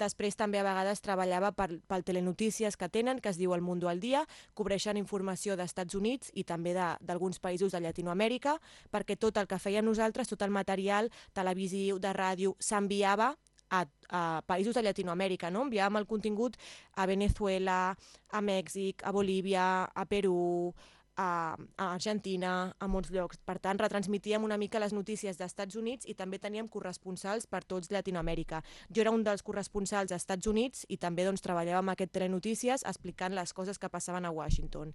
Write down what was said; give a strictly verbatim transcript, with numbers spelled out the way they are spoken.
Després també a vegades treballava per, pel telenotícies que tenen, que es diu El Mundo al Dia, cobreixen informació d'Estats Units i també d'alguns països de Llatinoamèrica, perquè tot el que feien nosaltres, tot el material televisiu, de ràdio, s'enviava a, a països de Llatinoamèrica, no? Enviàvem el contingut a Venezuela, a Mèxic, a Bolívia, a Perú, a, a Argentina, a molts llocs. Per tant, retransmitíem una mica les notícies d'Estats Units i també teníem corresponsals per tots Llatinoamèrica. Jo era un dels corresponsals als Estats Units i també doncs, treballava amb aquest Telenotícies explicant les coses que passaven a Washington.